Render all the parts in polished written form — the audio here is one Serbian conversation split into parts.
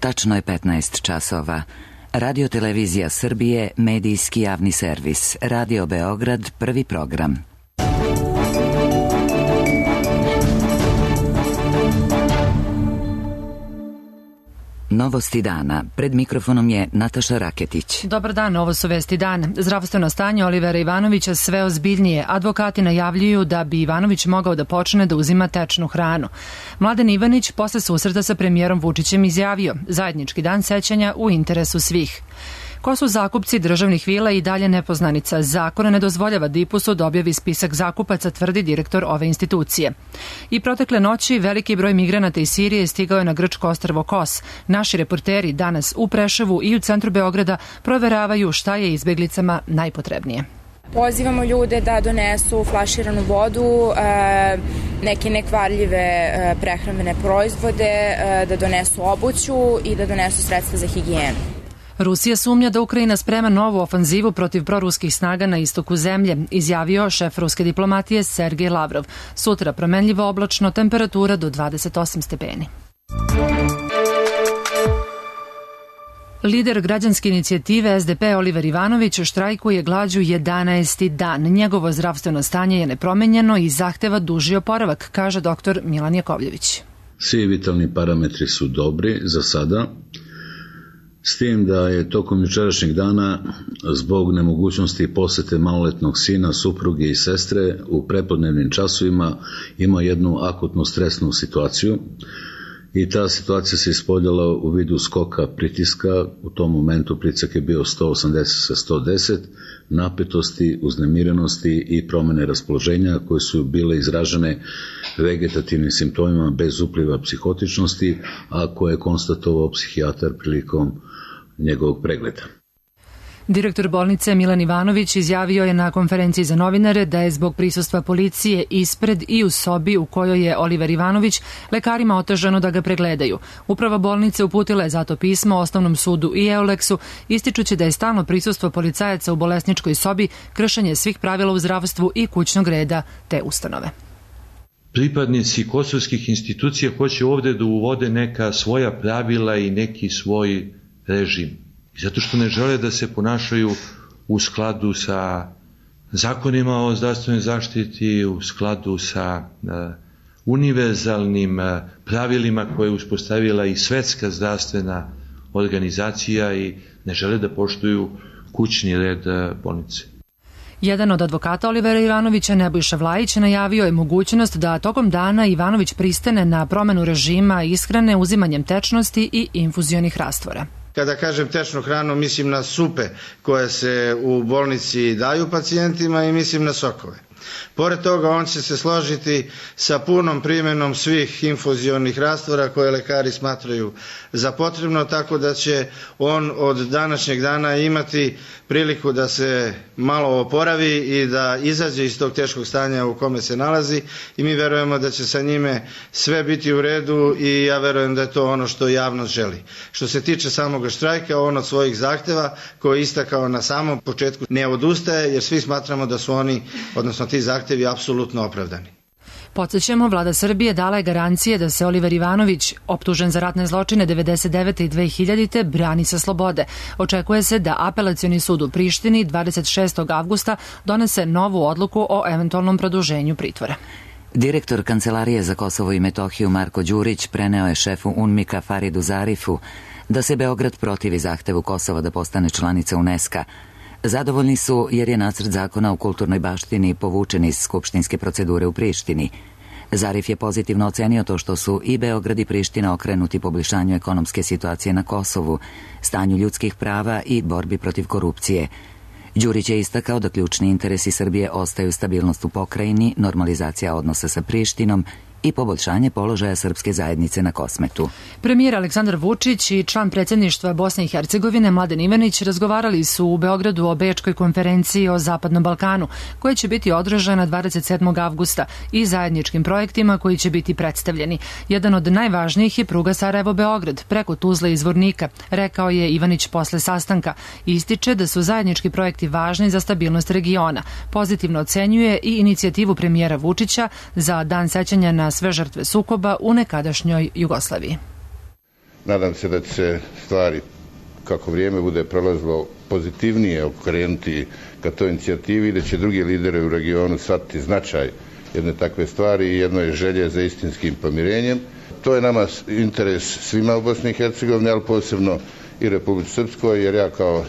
Tačno je 15 časova. Radio Televizija Srbije, medijski javni servis. Radio Beograd, prvi program. Novosti dana. Pred mikrofonom je Nataša Raketić. Dobar dan, ovo su vesti dan. Zdravstveno stanje Olivera Ivanovića sve ozbiljnije. Advokati najavljuju da bi Ivanović mogao da počne da uzima tečnu hranu. Mladen Ivanić posle susreta sa premijerom Vučićem izjavio: zajednički dan sećanja u interesu svih. Ko su zakupci državnih vila i dalje nepoznanica. Zakon ne dozvoljava DIPUS-u da objavi spisak zakupaca, tvrdi direktor ove institucije. I protekle noći veliki broj migranata iz Sirije stigao je na grčko ostrvo Kos. Naši reporteri danas u Preševu i u centru Beograda proveravaju šta je izbeglicama najpotrebnije. Pozivamo ljude da donesu flaširanu vodu, neke nekvarljive prehrambene proizvode, da donesu obuću i da donesu sredstva za higijenu. Rusija sumnja da Ukrajina sprema novu ofanzivu protiv proruskih snaga na istoku zemlje, izjavio šef ruske diplomatije Sergej Lavrov. Sutra promenljivo oblačno, temperatura do 28 stepeni. Lider građanske inicijative SDP Oliver Ivanović štrajkuje glađu 11. dan. Njegovo zdravstveno stanje je nepromenjeno i zahteva duži oporavak, kaže dr. Milan Jakovljević. Svi vitalni parametri su dobri za sada, s tim da je tokom jučerašnjeg dana zbog nemogućnosti posete maloletnog sina, supruge i sestre u prepodnevnim časovima imao jednu akutnu stresnu situaciju i ta situacija se ispoljala u vidu skoka pritiska. U tom momentu pritisak je bio 180 sa 110, napetosti, uznemirenosti i promene raspoloženja koje su bile izražene vegetativnim simptomima bez upliva psihotičnosti, a koje je konstatovao psihijatar prilikom njegovog pregleda. Direktor bolnice Milan Ivanović izjavio je na konferenciji za novinare da je zbog prisustva policije ispred i u sobi u kojoj je Oliver Ivanović lekarima otežano da ga pregledaju. Uprava bolnice uputila je zato pismo Osnovnom sudu i Euleksu, ističući da je stalno prisustvo policajaca u bolesničkoj sobi kršenje svih pravila u zdravstvu i kućnog reda te ustanove. Pripadnici kosovskih institucija hoće ovde da uvode neka svoja pravila i neki svoj režim. Zato što ne žele da se ponašaju u skladu sa zakonima o zdravstvenoj zaštiti, u skladu sa univerzalnim pravilima koje je uspostavila i Svetska zdravstvena organizacija i ne žele da poštuju kućni red bolnice. Jedan od advokata Olivera Ivanovića, Nebojša Vlajić, najavio je mogućnost da tokom dana Ivanović pristane na promenu režima ishrane uzimanjem tečnosti i infuzionih rastvora. Kada kažem tečnu hranu, mislim na supe koje se u bolnici daju pacijentima i mislim na sokove. Pored toga, on će se složiti sa punom primjenom svih infuzionih rastvora koje lekari smatraju za potrebno, tako da će on od današnjeg dana imati priliku da se malo oporavi i da izađe iz tog teškog stanja u kome se nalazi i mi verujemo da će sa njime sve biti u redu i ja verujem da je to ono što javnost želi. Što se tiče samog štrajka, on od svojih zahteva koje je istakao na samom početku ne odustaje jer svi smatramo da su oni, odnosno ti zahtevi, apsolutno opravdani. Podsjećamo, vlada Srbije dala je garancije da se Oliver Ivanović, optužen za ratne zločine 1999. i 2000. brani sa slobode. Očekuje se da Apelacioni sud u Prištini 26. avgusta donese novu odluku o eventualnom produženju pritvora. Direktor Kancelarije za Kosovo i Metohiju Marko Đurić preneo je šefu UNMIK-a Faridu Zarifu da se Beograd protivi zahtevu Kosova da postane članica UNESCO-a. Zadovoljni su jer je nacrt zakona o kulturnoj baštini povučen iz skupštinske procedure u Prištini. Zarif je pozitivno ocenio to što su i Beograd i Priština okrenuti poboljšanju ekonomske situacije na Kosovu, stanju ljudskih prava i borbi protiv korupcije. Đurić je istakao da ključni interesi Srbije ostaju stabilnost u pokrajini, normalizacija odnosa sa Prištinom i poboljšanje položaja srpske zajednice na Kosmetu. Premijer Aleksandar Vučić i član predsjedništva Bosne i Hercegovine Mladen Ivanić razgovarali su u Beogradu o Bečkoj konferenciji o Zapadnom Balkanu, koja će biti održana 27. avgusta i zajedničkim projektima koji će biti predstavljeni. Jedan od najvažnijih je pruga Sarajevo-Beograd preko Tuzle i Zvornika, rekao je Ivanić posle sastanka. Ističe da su zajednički projekti važni za stabilnost regiona. Pozitivno ocenjuje i inicijativu premijera Vučića za dan sećanja na sve žrtve sukoba u nekadašnjoj Jugoslaviji. Nadam se da će se stvari, kako vrijeme bude prolazilo, pozitivnije okrenuti ka toj inicijativi i da će drugi lideri u regionu shvatiti značaj jedne takve stvari i jednoj želje za istinskim pomirenjem. To je nama interes svima u Bosni i Hercegovini, ali posebno i Republici Srpskoj, jer ja kao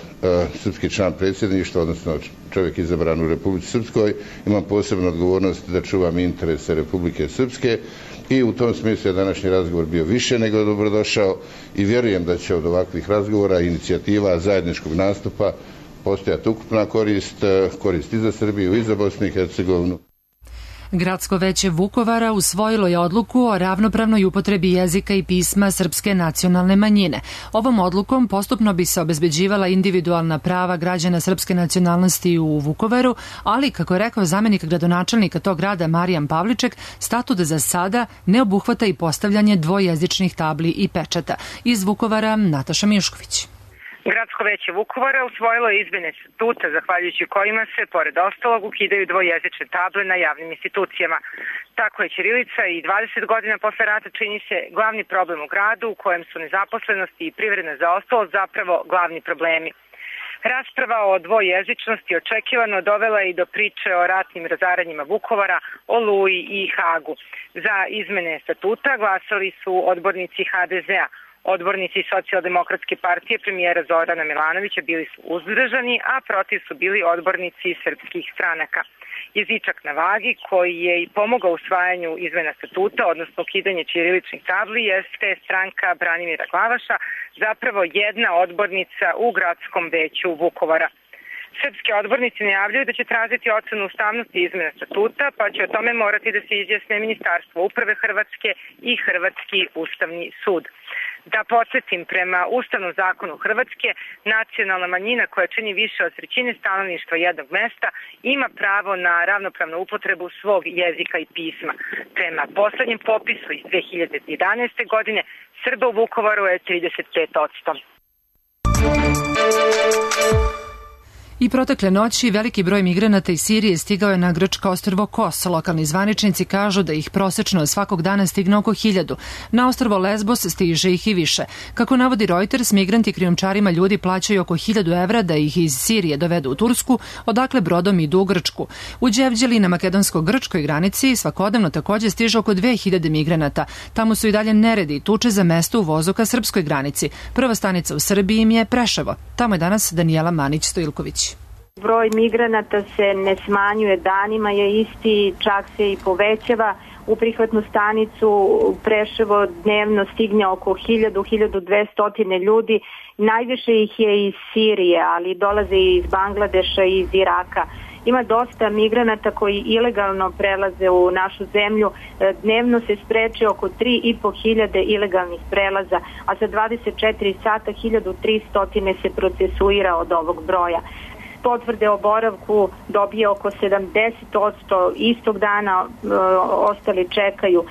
srpski član predsjedništva, odnosno čovjek izabran u Republici Srpskoj, imam posebnu odgovornost da čuvam interese Republike Srpske i u tom smislu je današnji razgovor bio više nego dobrodošao i vjerujem da će od ovakvih razgovora i inicijativa zajedničkog nastupa postojati ukupna korist i za Srbiju i za Bosnu i Hercegovinu. Gradsko veće Vukovara usvojilo je odluku o ravnopravnoj upotrebi jezika i pisma srpske nacionalne manjine. Ovom odlukom postupno bi se obezbeđivala individualna prava građana srpske nacionalnosti u Vukovaru, ali, kako je rekao zamjenik gradonačelnika tog grada Marijan Pavliček, statut za sada ne obuhvata i postavljanje dvojezičnih tabli i pečata. Iz Vukovara Nataša Mišković. Gradsko veće Vukovara usvojilo je izmene statuta zahvaljujući kojima se, pored ostalog, ukidaju dvojezične table na javnim institucijama. Tako je ćirilica i 20 godina posle rata čini se glavni problem u gradu u kojem su nezaposlenost i privredna zaostalost zapravo glavni problemi. Rasprava o dvojezičnosti očekivano dovela i do priče o ratnim razaranjima Vukovara, Oluji i Hagu. Za izmene statuta glasali su odbornici HDZ-a. Odbornici Socijaldemokratske partije premijera Zorana Milanovića bili su uzdržani, a protiv su bili odbornici srpskih stranaka. Jezičak na vagi, koji je i pomogao usvajanju izmena statuta, odnosno ukidanje ćiriličnih tabli, jeste stranka Branimira Glavaša, zapravo jedna odbornica u gradskom veću Vukovara. Srpski odbornici najavljaju da će tražiti ocenu ustavnosti izmena statuta, pa će o tome morati da se izjasne Ministarstvo uprave Hrvatske i Hrvatski ustavni sud. Da podsjetim, prema Ustavnom zakonu Hrvatske, nacionalna manjina koja čini više od trećine stanovništva jednog mesta ima pravo na ravnopravnu upotrebu svog jezika i pisma. Prema poslednjem popisu iz 2011. godine Srba u Vukovaru je 35%. I protekle noći veliki broj migranata iz Sirije stigao je na grčko ostrvo Kos. Lokalni zvaničnici kažu da ih prosečno svakog dana stigne oko 1000. Na ostrvo Lesbos stiže ih i više. Kako navodi Reuters, migranti krijumčarima ljudi plaćaju oko 1000 evra da ih iz Sirije dovedu u Tursku, odakle brodom idu u Grčku. U Đevđeli na makedonsko-grčkoj granici svakodnevno takođe stiže oko 2000 migranata. Tamo su i dalje neredi i tuče za mesto u vozu ka srpskoj granici. Prva stanica u Srbiji im je Preševo. Tamo je danas Danijela Manić-Stojilković. Broj migranata se ne smanjuje, danima je isti, čak se i povećava. U prihvatnu stanicu Preševo dnevno stigne oko 1000-1200 ljudi. Najviše ih je iz Sirije, ali dolaze i iz Bangladeša i iz Iraka. Ima dosta migranata koji ilegalno prelaze u našu zemlju. Dnevno se spreče oko 3500 ilegalnih prelaza, a za 24 sata 1300 se procesuira od ovog broja. Potvrde o boravku dobije oko 70%, istog dana ostali čekaju.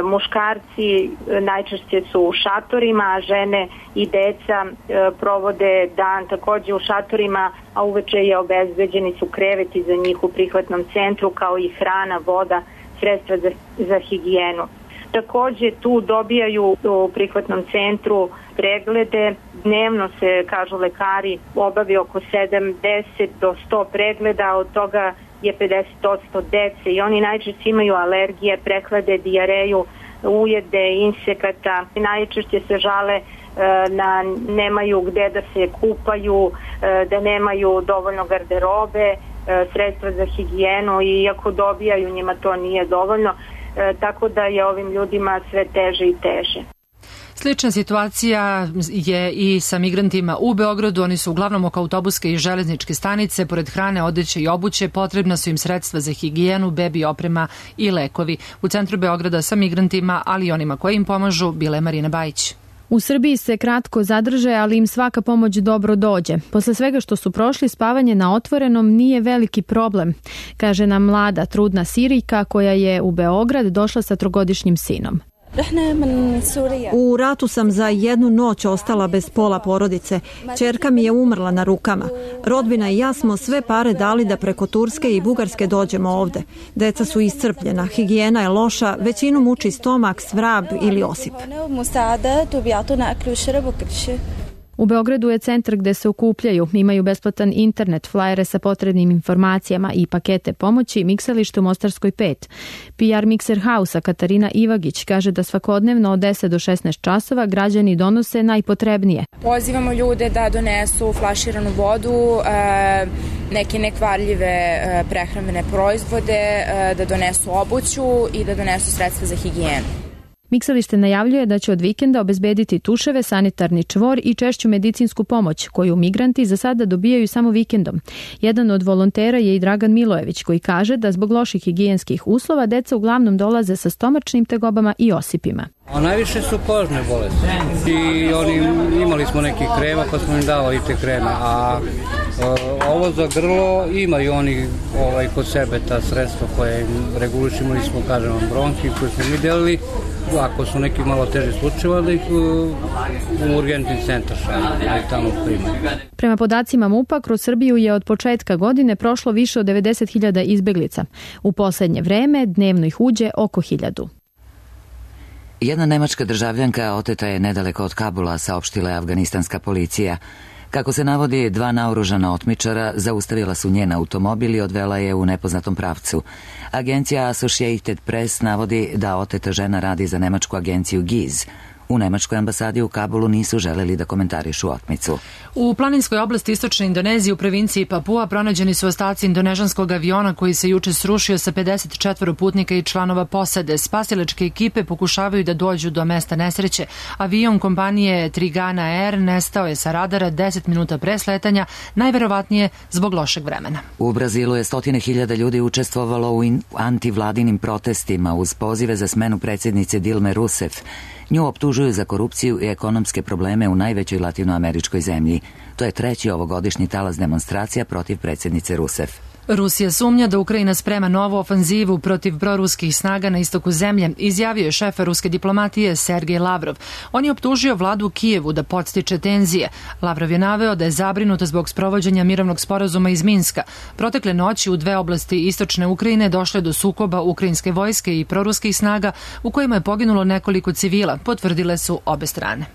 Muškarci najčešće su u šatorima, a žene i deca provode dan takođe u šatorima, a uveče je obezbeđeni su kreveti za njih u prihvatnom centru, kao i hrana, voda, sredstva za higijenu. Takođe tu dobijaju u prihvatnom centru preglede. Dnevno se, kažu lekari, obavi oko 70 do 100 pregleda, od toga je 50% dece i oni najčešće imaju alergije, prehlade, dijareju, ujede, insekata. Najčešće se žale na nemaju gde da se kupaju, da nemaju dovoljno garderobe, sredstva za higijenu i iako dobijaju njima to nije dovoljno. Tako da je ovim ljudima sve teže i teže. Slična situacija je i sa migrantima u Beogradu. Oni su uglavnom oko autobuske i železničke stanice. Pored hrane, odeće i obuće potrebna su im sredstva za higijenu, bebi oprema i lekovi. U centru Beograda sa migrantima, ali i onima koji im pomažu, bila je Marina Bajić. U Srbiji se kratko zadrže, ali im svaka pomoć dobro dođe. Posle svega što su prošli, spavanje na otvorenom nije veliki problem, kaže nam mlada, trudna Sirijka koja je u Beograd došla sa 3-godišnjim sinom. U ratu sam za jednu noć ostala bez pola porodice. Ćerka mi je umrla na rukama. Rodbina i ja smo sve pare dali da preko Turske i Bugarske dođemo ovde. Deca su iscrpljena, higijena je loša, većinu muči stomak, svrab ili osip. U Beogradu je centar gde se okupljaju, imaju besplatan internet, flajere sa potrebnim informacijama i pakete pomoći, miksalište u Mostarskoj 5. PR Mixer House-a Katarina Ivagić kaže da svakodnevno od 10 do 16 časova građani donose najpotrebnije. Pozivamo ljude da donesu flaširanu vodu, neke nekvarljive prehrambene proizvode, da donesu obuću i da donesu sredstva za higijenu. Miksalište najavljuje da će od vikenda obezbediti tuševe, sanitarni čvor i češću medicinsku pomoć, koju migranti za sada dobijaju samo vikendom. Jedan od volontera je i Dragan Milojević, koji kaže da zbog loših higijenskih uslova deca uglavnom dolaze sa stomačnim tegobama i osipima. A najviše su kožne bolesti. I imali smo neki krema pa smo im davali te kreme, a ovo za grlo imaju oni kod sebe ta sredstva koje regulišimo, mi smo, kažem vam, bronhi koje smo mi delili. Ako su neki malo teže slučajeva, da ih u urgentni centar šalju, tamo primaju. Prema podacima MUP-a, kroz Srbiju je od početka godine prošlo više od 90.000 izbeglica. U poslednje vreme dnevno ih uđe oko 1.000. Jedna nemačka državljanka oteta je nedaleko od Kabula, saopštila je afganistanska policija. Kako se navodi, 2 naoružana otmičara zaustavila su njen automobil i odvela je u nepoznatom pravcu. Agencija Associated Press navodi da oteta žena radi za nemačku agenciju GIZ. U nemačkoj ambasadi u Kabulu nisu želeli da komentarišu otmicu. U planinskoj oblasti istočne Indonezije u provinciji Papua pronađeni su ostaci indonežanskog aviona koji se juče srušio sa 54 putnika i članova posade. Spasilačke ekipe pokušavaju da dođu do mesta nesreće. Avion kompanije Trigana Air nestao je sa radara 10 minuta pre sletanja, najverovatnije zbog lošeg vremena. U Brazilu je 100.000 ljudi učestvovalo u antivladinim protestima uz pozive za smenu predsjednice Dilme Rousseff. Nju optužuju za korupciju i ekonomske probleme u najvećoj latinoameričkoj zemlji. To je 3. ovogodišnji talas demonstracija protiv predsjednice Rousseff. Rusija sumnja da Ukrajina sprema novu ofanzivu protiv proruskih snaga na istoku zemlje, izjavio je šef ruske diplomatije Sergej Lavrov. On je optužio vladu u Kijevu da podstiče tenzije. Lavrov je naveo da je zabrinut zbog sprovođenja mirovnog sporazuma iz Minska. Protekle noći u 2 oblasti istočne Ukrajine došle do sukoba ukrajinske vojske i proruskih snaga u kojima je poginulo nekoliko civila, potvrdile su obe strane.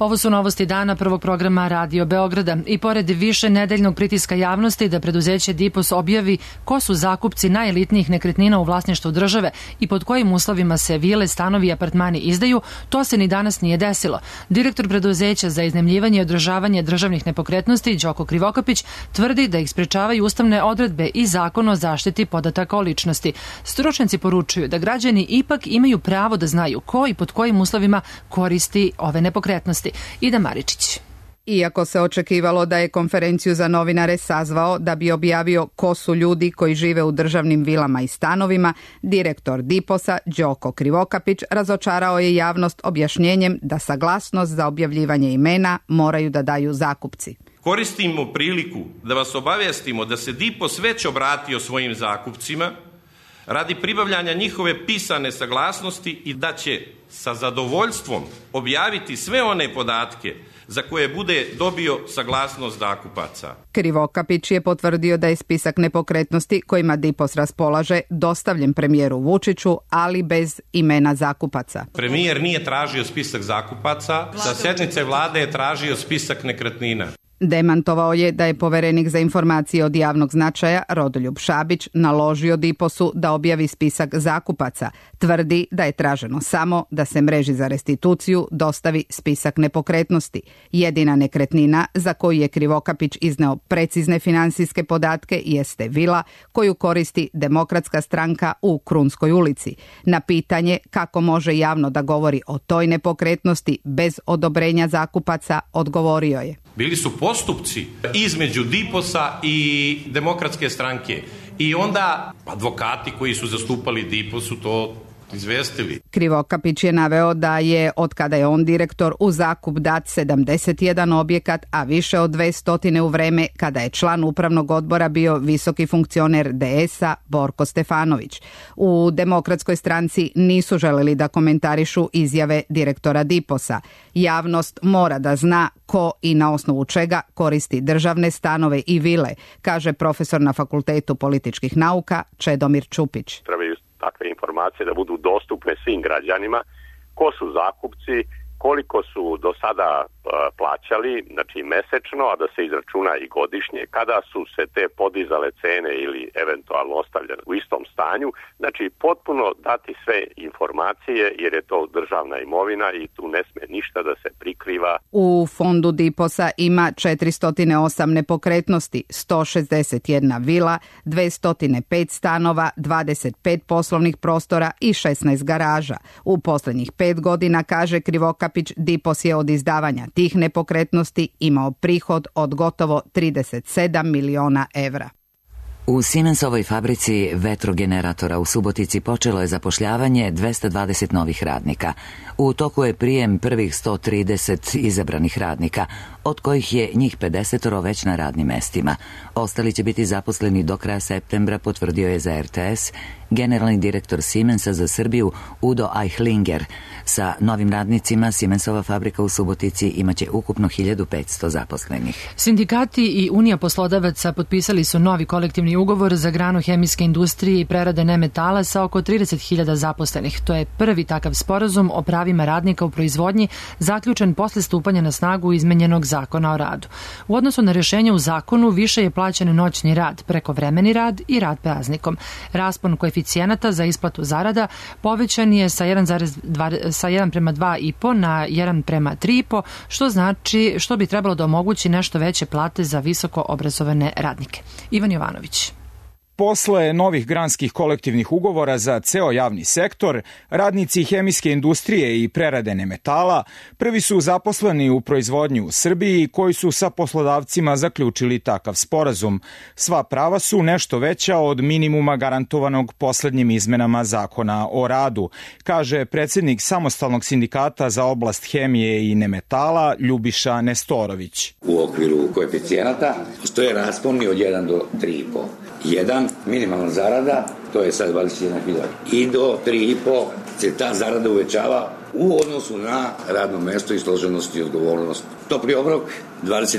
Ovo su novosti dana prvog programa Radio Beograda i pored više nedeljnog pritiska javnosti da preduzeće Dipos objavi ko su zakupci najelitnijih nekretnina u vlasništvu države i pod kojim uslovima se vile, stanovi i apartmani izdaju, to se ni danas nije desilo. Direktor preduzeća za iznajmljivanje i održavanje državnih nepokretnosti Đoko Krivokapić tvrdi da ih sprečavaju ustavne odredbe i Zakon o zaštiti podataka o ličnosti. Stručnjaci poručuju da građani ipak imaju pravo da znaju ko i pod kojim uslovima koristi ove nepokretnosti. Ida Maričić. Iako se očekivalo da je konferenciju za novinare sazvao da bi objavio ko su ljudi koji žive u državnim vilama i stanovima, direktor Diposa Đoko Krivokapić razočarao je javnost objašnjenjem da saglasnost za objavljivanje imena moraju da daju zakupci. Koristimo priliku da vas obavestimo da se Dipos već obratio svojim zakupcima radi pribavljanja njihove pisane saglasnosti i da će sa zadovoljstvom objaviti sve one podatke za koje bude dobio saglasnost zakupaca. Krivokapić je potvrdio da je spisak nepokretnosti kojima Dipos raspolaže dostavljen premijeru Vučiću, ali bez imena zakupaca. Premijer nije tražio spisak zakupaca, sa sjednice vlade je tražio spisak nekretnina. Demantovao je da je poverenik za informacije od javnog značaja Rodoljub Šabić naložio Diposu da objavi spisak zakupaca. Tvrdi da je traženo samo da se mreži za restituciju dostavi spisak nepokretnosti. Jedina nekretnina za koju je Krivokapić izneo precizne finansijske podatke jeste vila koju koristi Demokratska stranka u Krunskoj ulici. Na pitanje kako može javno da govori o toj nepokretnosti bez odobrenja zakupaca odgovorio je: Bili su postupci između Diposa i Demokratske stranke i onda advokati koji su zastupali Diposu to izvestili. Krivokapić je naveo da je, od kada je on direktor, u zakup dat 71 objekat, a više od 200 u vreme kada je član upravnog odbora bio visoki funkcioner DS-a Borko Stefanović. U Demokratskoj stranci nisu želeli da komentarišu izjave direktora DIPOS-a. Javnost mora da zna ko i na osnovu čega koristi državne stanove i vile, kaže profesor na Fakultetu političkih nauka Čedomir Čupić. Trebaju takve informacije da budu dostupne svim građanima, ko su zakupci, koliko su do sada plaćali, znači mesečno, a da se izračuna i godišnje, kada su se te podizale cene ili eventualno ostavljene u istom stanju, znači potpuno dati sve informacije jer je to državna imovina i tu ne sme ništa da se prikriva. U fondu DIPOS-a ima 408 nepokretnosti, 161 vila, 205 stanova, 25 poslovnih prostora i 16 garaža. U poslednjih 5 godina, kaže Krivokapić, DIPOS je od izdavanja tih nepokretnosti imao prihod od gotovo 37 miliona evra. U Siemensovoj fabrici vetrogeneratora u Subotici počelo je zapošljavanje 220 novih radnika. U toku je prijem prvih 130 izabranih radnika, od kojih je njih 50 već na radnim mestima. Ostali će biti zaposleni do kraja septembra, potvrdio je za RTS generalni direktor Siemensa za Srbiju Udo Eichlinger. Sa novim radnicima Siemensova fabrika u Subotici imaće ukupno 1500 zaposlenih. Sindikati i Unija poslodavaca potpisali su novi kolektivni ugovor za granu hemijske industrije i prerade nemetala sa oko 30.000 zaposlenih. To je prvi takav sporazum o pravima radnika u proizvodnji zaključen posle stupanja na snagu izmenjenog zakona o radu. U odnosu na rješenje u zakonu više je plaćen noćni rad, prekovremeni rad i rad praznikom. Raspon koeficijenata za isplatu zarada povećan je sa 1:2,5 na 1:3,5, što znači što bi trebalo da omogući nešto veće plate za visoko obrazovane radnike. Ivan Jovanović. Posle novih granskih kolektivnih ugovora za ceo javni sektor, radnici hemijske industrije i prerade nemetala prvi su zaposleni u proizvodnji u Srbiji koji su sa poslodavcima zaključili takav sporazum. Sva prava su nešto veća od minimuma garantovanog poslednjim izmenama zakona o radu, kaže predsjednik samostalnog sindikata za oblast hemije i nemetala Ljubiša Nestorović. U okviru koeficijenata postoje rasponi od 1 do 3,5. 1 minimalna zarada, to je sad 21.000 i do 3,5 se ta zarada uvećava u odnosu na radno mesto i složenost i odgovornost. Topli obrok 20%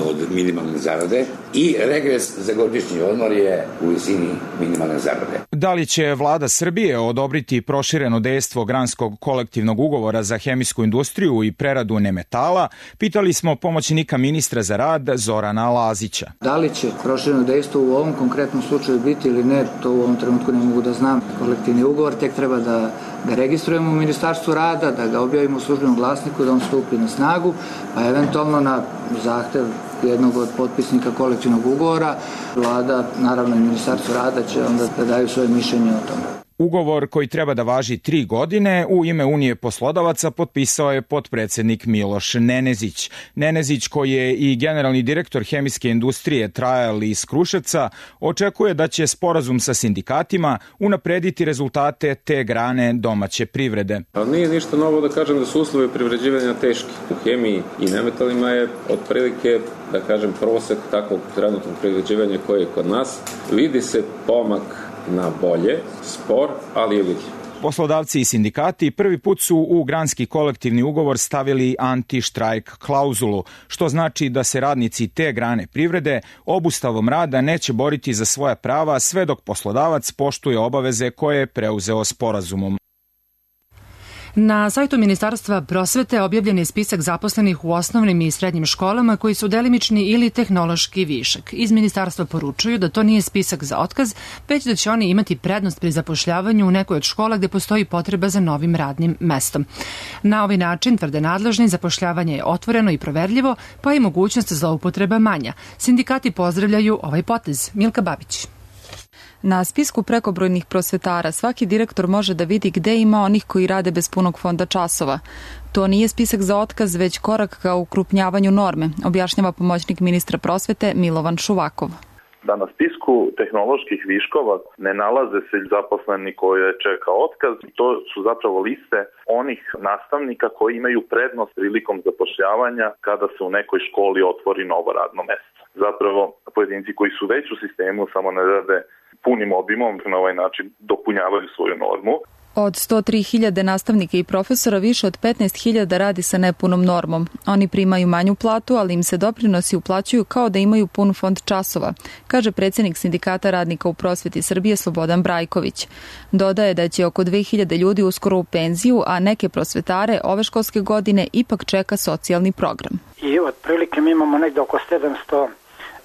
od minimalne zarade i regres za godišnji odmor je u visini minimalne zarade. Da li će vlada Srbije odobriti prošireno dejstvo granskog kolektivnog ugovora za hemijsku industriju i preradu nemetala, pitali smo pomoćnika ministra za rad Zorana Lazića. Da li će prošireno dejstvo u ovom konkretnom slučaju biti ili ne, to u ovom trenutku ne mogu da znam. Kolektivni ugovor tek treba da ga registrujemo u Ministarstvu rada, da ga objavimo u službenom glasniku, da on stupi na snagu, pa eventualno na zahtev jednog od potpisnika kolektivnog ugovora, vlada, naravno i Ministarstvo rada će onda da daju svoje mišljenje o tome. Ugovor koji treba da važi 3 godine u ime Unije poslodavaca potpisao je potpredsjednik Miloš Nenezić. Nenezić, koji je i generalni direktor hemijske industrije Trajal iz Kruševca, očekuje da će sporazum sa sindikatima unaprediti rezultate te grane domaće privrede. Ali nije ništa novo da kažem da su uslovi privređivanja teški. U hemiji i nemetalima je otprilike, da kažem, prosek takvog trenutnog privređivanja koji je kod nas. Vidi se pomak na bolje, spor, ali je vidljiv. Poslodavci i sindikati prvi put su u granski kolektivni ugovor stavili anti-štrajk klauzulu, što znači da se radnici te grane privrede obustavom rada neće boriti za svoja prava sve dok poslodavac poštuje obaveze koje je preuzeo sporazumom. Na sajtu Ministarstva prosvete objavljen je spisak zaposlenih u osnovnim i srednjim školama koji su delimični ili tehnološki višak. Iz ministarstva poručuju da to nije spisak za otkaz, već da će oni imati prednost pri zapošljavanju u nekoj od škola gde postoji potreba za novim radnim mestom. Na ovaj način, tvrde nadležni, zapošljavanje je otvoreno i proverljivo, pa i mogućnost zloupotreba manja. Sindikati pozdravljaju ovaj potez. Milka Babić. Na spisku prekobrojnih prosvetara svaki direktor može da vidi gde ima onih koji rade bez punog fonda časova. To nije spisak za otkaz, već korak ka ukrupnjavanju norme, objašnjava pomoćnik ministra prosvete Milovan Šuvakov. da na spisku tehnoloških viškova ne nalaze se zaposleni koje čeka otkaz. To su zapravo liste onih nastavnika koji imaju prednost prilikom zapošljavanja kada se u nekoj školi otvori novo radno mesto. Zapravo pojedinci koji su već u sistemu samo ne rade punim obimom, na ovaj način dopunjavaju svoju normu. Od 103.000 nastavnika i profesora više od 15.000 radi sa nepunom normom. Oni primaju manju platu, ali im se doprinosi uplaćuju kao da imaju pun fond časova, kaže predsjednik Sindikata radnika u prosveti Srbije Slobodan Brajković. Dodaje da će oko 2.000 ljudi uskoro u penziju, a neke prosvetare ove školske godine ipak čeka socijalni program. I otprilike mi imamo negde oko 700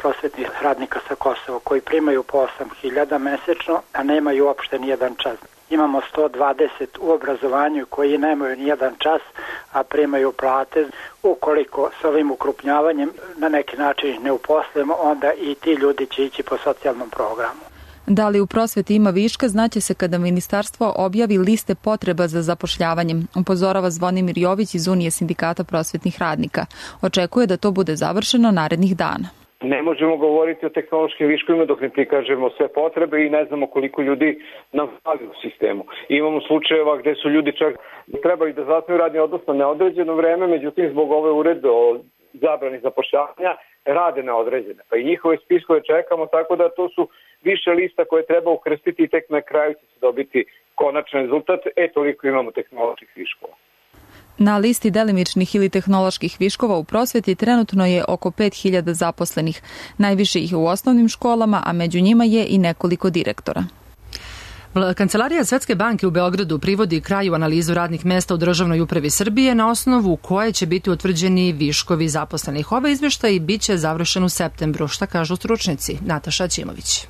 prosvetnih radnika sa Kosova koji primaju po 8.000 mesečno, a nemaju uopšte nijedan čas. Imamo 120 u obrazovanju koji nemaju nijedan čas, a primaju plate. Ukoliko s ovim ukrupnjavanjem na neki način ne uposlimo, onda i ti ljudi će ići po socijalnom programu. Da li u prosveti ima viška, znaće se kada ministarstvo objavi liste potreba za zapošljavanjem, upozorava Zvonimir Jović iz Unije sindikata prosvetnih radnika. Očekuje da to bude završeno narednih dana. Ne možemo govoriti o tehnološkim viškovima dok ne prikažemo sve potrebe i ne znamo koliko ljudi nam fali u sistemu. Imamo slučajeva gde su ljudi čak trebali da zasnuju radni odnos na neodređeno vreme, međutim zbog ove uredbe o zabrani zapošljavanja rade na određene. Pa i njihove spiskove čekamo, tako da to su više lista koje treba ukrstiti i tek na kraju će se dobiti konačan rezultat. Toliko imamo tehnoloških viškova. Na listi delimičnih ili tehnoloških viškova u prosveti trenutno je oko 5.000 zaposlenih. Najviše ih je u osnovnim školama, a među njima je i nekoliko direktora. Kancelarija Svetske banke u Beogradu privodi kraju analizu radnih mesta u državnoj upravi Srbije na osnovu koje će biti utvrđeni viškovi zaposlenih. Ovaj izveštaj biće završen u septembru. Šta kažu stručnjaci? Nataša Ćimović.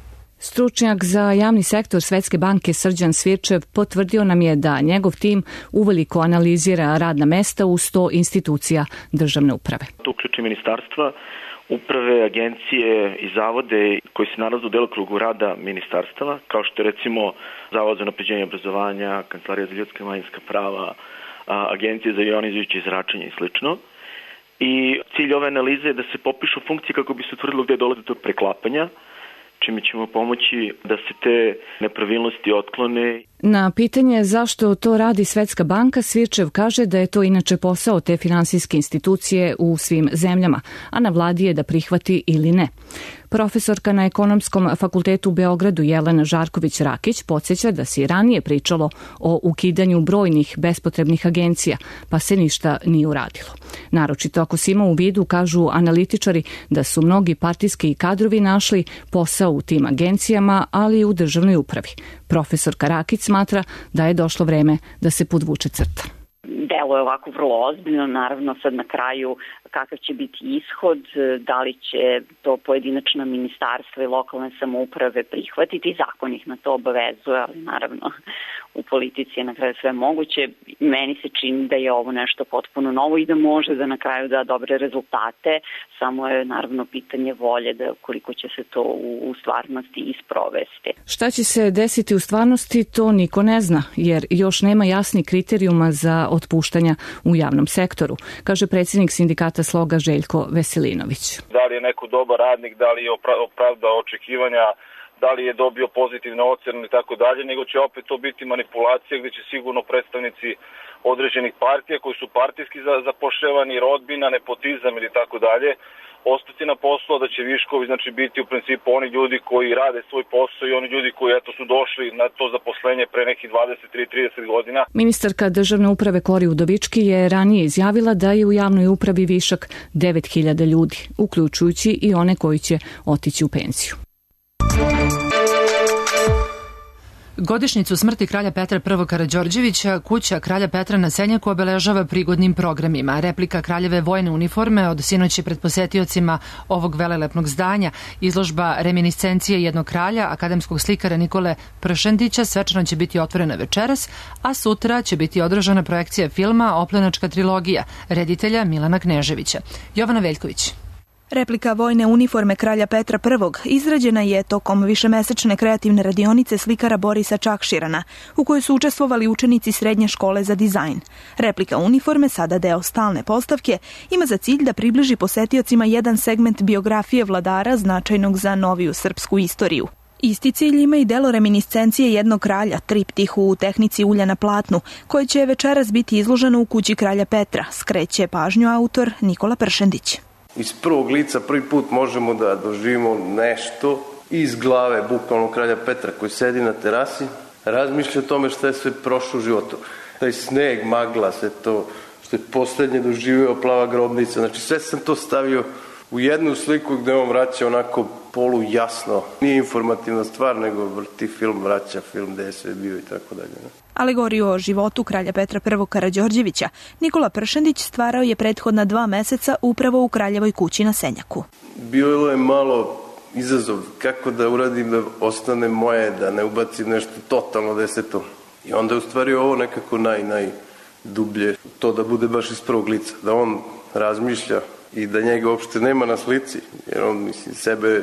Stručnjak za javni sektor Svetske banke Srđan Svirčev potvrdio nam je da njegov tim uveliko analizira radna mesta u 100 institucija državne uprave. To uključi ministarstva, uprave, agencije i zavode koji se nalaze u delokrugu rada ministarstava, kao što je recimo Zavod za unapređenje obrazovanja, Kancelarija za ljudska i manjinska prava, Agencije za jonizujuće zračenje i slično. I cilj ove analize je da se popišu funkcije kako bi se utvrdilo gde dolazi do preklapanja, čime ćemo pomoći da se te nepravilnosti otklone. Na pitanje zašto to radi Svetska banka, Svirčev kaže da je to inače posao te finansijske institucije u svim zemljama, a na vladi je da prihvati ili ne. Profesorka na Ekonomskom fakultetu u Beogradu Jelena Žarković-Rakić podsjeća da se i ranije pričalo o ukidanju brojnih bespotrebnih agencija, pa se ništa nije uradilo. Naročito ako se ima u vidu, kažu analitičari, da su mnogi partijski kadrovi našli posao u tim agencijama, ali i u državnoj upravi. Profesorka Rakić smatra da je došlo vreme da se podvuče crta. Delo je ovako vrlo ozbiljno, naravno sad na kraju kakav će biti ishod, da li će to pojedinačna ministarstva i lokalne samouprave prihvatiti, zakon ih na to obavezuje, ali naravno u politici je na kraju sve moguće. Meni se čini da je ovo nešto potpuno novo i da može da na kraju da dobre rezultate, samo je naravno pitanje volje da koliko će se to u stvarnosti isprovesti. Šta će se desiti u stvarnosti, to niko ne zna, jer još nema jasnih kriterijuma za otpuštanja u javnom sektoru, kaže predsjednik sindikata Sloga Željko Veselinović. Da li je neko dobar radnik, da li je opravdao očekivanja, da li je dobio pozitivne ocene i tako dalje, nego će opet to biti manipulacija gdje će sigurno predstavnici određenih partija koji su partijski zapošljavani, rodbina, nepotizam ili tako dalje, ostati na poslu, da će viškovi biti u principu oni ljudi koji rade svoj posao i oni ljudi koji su došli na to zaposlenje pre nekih 23-30 godina. Ministarka državne uprave Kori Udovički je ranije izjavila da je u javnoj upravi višak 9.000 ljudi, uključujući i one koji će otići u penziju. Godišnjicu smrti kralja Petra I. Karađorđevića kuća kralja Petra na Senjaku obeležava prigodnim programima. Replika kraljeve vojne uniforme od sinoć je pred posetiocima ovog velelepnog zdanja. Izložba reminiscencije jednog kralja, akademskog slikara Nikole Pršendića, svečano će biti otvorena večeras, a sutra će biti održana projekcija filma Oplenačka trilogija reditelja Milana Kneževića. Jovana Veljković. Replika vojne uniforme kralja Petra I izrađena je tokom višemesečne kreativne radionice slikara Borisa Čakširana, u kojoj su učestvovali učenici srednje škole za dizajn. Replika uniforme, sada deo stalne postavke, ima za cilj da približi posetiocima jedan segment biografije vladara značajnog za noviju srpsku istoriju. Isti cilj ima i delo reminiscencije jednog kralja, triptih u tehnici ulja na platnu, koje će večeras biti izloženo u kući kralja Petra, skreće pažnju autor Nikola Pršendić. Iz prvog lica prvi put možemo da doživimo nešto iz glave bukvalno kralja Petra koji sedi na terasi, razmišlja o tome što je sve prošlo u životu. Taj sneg, magla, sve to što je poslednje doživio, plava grobnica, znači sve sam to stavio u jednu sliku gde on vraća onako polu jasno. Nije informativna stvar, nego vrti film, vraća film gde je sve bio i tako dalje. Alegoriju o životu kralja Petra I Karađorđevića Nikola Pršendić stvarao je prethodna 2 meseca upravo u kraljevoj kući na Senjaku. Bilo je malo izazov kako da uradim da ostane moje, da ne ubacim nešto totalno deseto. I onda je u stvari ovo nekako najdublje, to da bude baš iz prvog lica, da on razmišlja i da njega uopšte nema na slici, jer on sebe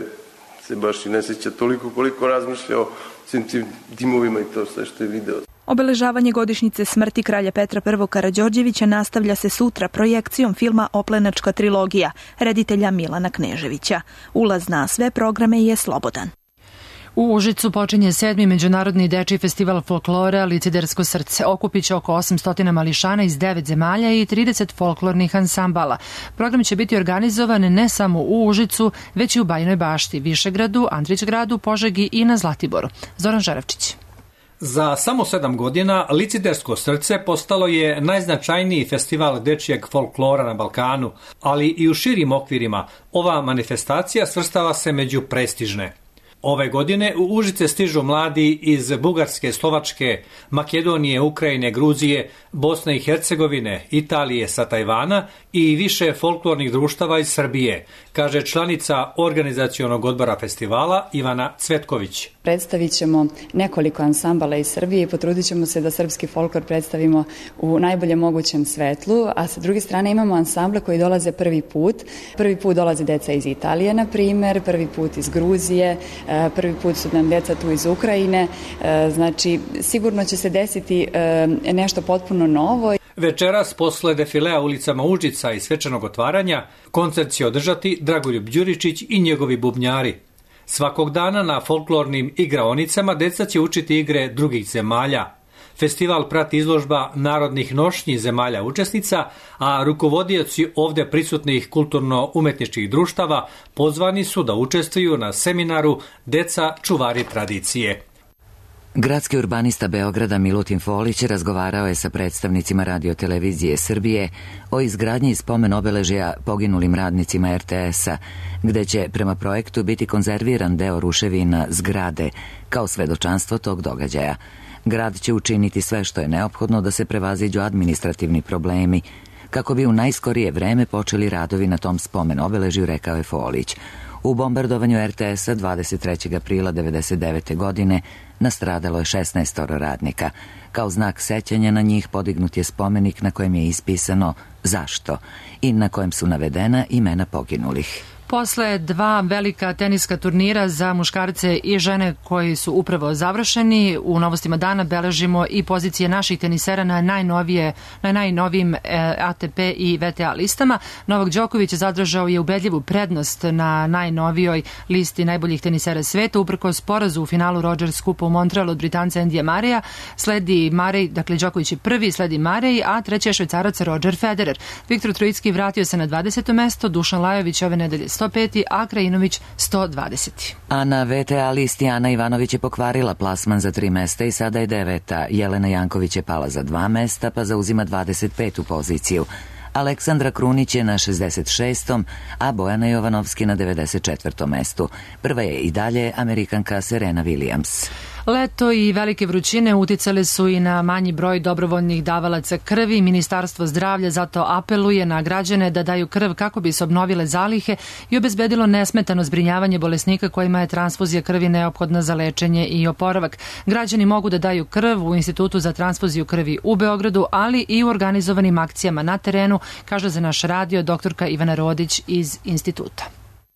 se baš i ne sjeća toliko koliko razmišlja o svim tim dimovima i to sve što je video. Obeležavanje godišnjice smrti kralja Petra I Karađorđevića nastavlja se sutra projekcijom filma Oplenačka trilogija reditelja Milana Kneževića. Ulaz na sve programe je slobodan. U Užicu počinje 7. Međunarodni dečiji festival folklora Licidersko srce. Okupiće oko 800 mališana iz 9 zemalja i 30 folklornih ansambala. Program će biti organizovan ne samo u Užicu, već i u Bajinoj Bašti, Višegradu, Andrićgradu, Požegi i na Zlatiboru. Zoran Žarevčić. Za samo 7 godina Licidersko srce postalo je najznačajniji festival dečijeg folklora na Balkanu, ali i u širim okvirima ova manifestacija svrstava se među prestižne. Ove godine u Užice stižu mladi iz Bugarske, Slovačke, Makedonije, Ukrajine, Gruzije, Bosne i Hercegovine, Italije, sa Tajvana i više folklornih društava iz Srbije, kaže članica organizacionog odbora festivala Ivana Cvetković. Predstavit ćemo nekoliko ansambala iz Srbije i potrudit ćemo se da srpski folklor predstavimo u najboljem mogućem svetlu, a sa druge strane imamo ansamble koji dolaze prvi put. Prvi put dolaze deca iz Italije, na primer, prvi put iz Gruzije, prvi put su nam deca tu iz Ukrajine, znači sigurno će se desiti nešto potpuno novo. Večeras, posle defilea ulicama Užica i svečanog otvaranja, koncert će održati Dragoljub Đuričić i njegovi bubnjari. Svakog dana na folklornim igraonicama deca će učiti igre drugih zemalja. Festival prati izložba narodnih nošnji zemalja učesnica, a rukovodioci ovde prisutnih kulturno-umetničkih društava pozvani su da učestvuju na seminaru Deca čuvari tradicije. Gradski urbanista Beograda Milutin Folić razgovarao je sa predstavnicima Radio-televizije Srbije o izgradnji spomen obeležja poginulim radnicima RTS-a, gde će prema projektu biti konzerviran deo ruševina zgrade kao svedočanstvo tog događaja. Grad će učiniti sve što je neophodno da se prevaziđu administrativni problemi, kako bi u najskorije vreme počeli radovi na tom spomen obeležju, rekao je Folić. U bombardovanju RTS-a 23. aprila 1999. godine nastradalo je 16 radnika. Kao znak sećanja na njih podignut je spomenik na kojem je ispisano zašto i na kojem su navedena imena poginulih. Posle 2 velika teniska turnira za muškarce i žene koji su upravo završeni, u novostima dana beležimo i pozicije naših tenisera na najnovijim ATP i VTA listama. Novak Đoković zadržao je ubedljivu prednost na najnovijoj listi najboljih tenisera sveta, uprkos porazu u finalu Rogers Kupa u Montrealu od Britanca Endija Mareja. Sledi Marej, dakle Đoković je prvi, sledi Marej, a treći je Švajcarac Roger Federer. Viktor Trojicki vratio se na 20. mesto, Dušan Lajović ove nedelje 105. a Krajinović 120. A na VTA listi Ana Ivanović je pokvarila plasman za 3 mesta i sada je 9. Jelena Janković je pala za 2 mesta pa zauzima 25. poziciju. Aleksandra Krunić je na 66. a Bojana Jovanovski na 94. mestu. Prva je i dalje Amerikanka Serena Williams. Leto i velike vrućine uticale su i na manji broj dobrovoljnih davalaca krvi. Ministarstvo zdravlja zato apeluje na građane da daju krv kako bi se obnovile zalihe i obezbedilo nesmetano zbrinjavanje bolesnika kojima je transfuzija krvi neophodna za lečenje i oporavak. Građani mogu da daju krv u Institutu za transfuziju krvi u Beogradu, ali i u organizovanim akcijama na terenu, kaže za naš radio doktorka Ivana Rodić iz instituta.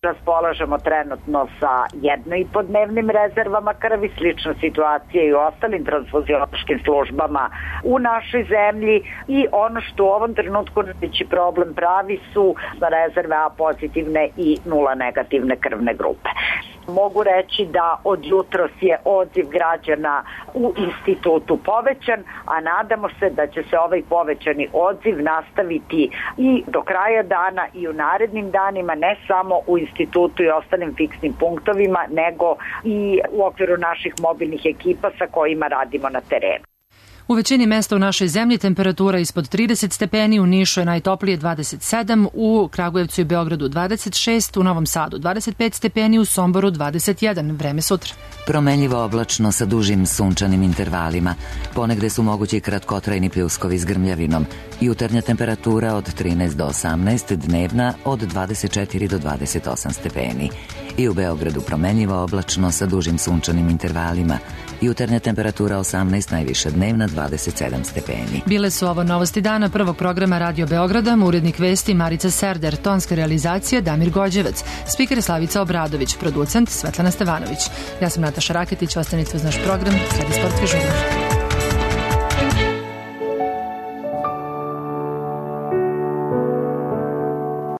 Raspolažemo trenutno sa 1,5-dnevnim rezervama krvi, slična situacija i u ostalim transfuziološkim službama u našoj zemlji i ono što u ovom trenutku najveći problem pravi su rezerve A pozitivne i 0 negativne krvne grupe. Mogu reći da od jutros je odziv građana u institutu povećan, a nadamo se da će se ovaj povećani odziv nastaviti i do kraja dana i u narednim danima, ne samo u institutu i ostalim fiksnim punktovima, nego i u okviru naših mobilnih ekipa sa kojima radimo na terenu. U većini mesta u našoj zemlji temperatura ispod 30 stepeni, u Nišu je najtoplije 27, u Kragujevcu i Beogradu 26, u Novom Sadu 25 stepeni, u Somboru 21. Vreme sutra. Promenljivo oblačno sa dužim sunčanim intervalima. Ponegde su mogući kratkotrajni pljuskovi s grmljavinom. Jutarnja temperatura od 13 do 18, dnevna od 24 do 28 stepeni. I u Beogradu promenljivo oblačno sa dužim sunčanim intervalima. Jutarnja temperatura 18, najviša dnevna 27 stepeni. Bile su ovo novosti dana prvog programa Radio Beograda, urednik vesti Marica Serder, tonska realizacija Damir Gođevac, spiker Slavica Obradović, producent Svetlana Stevanović. Ja sam Nataša Raketić, ostanite uz naš program, sledi sportski žurnal.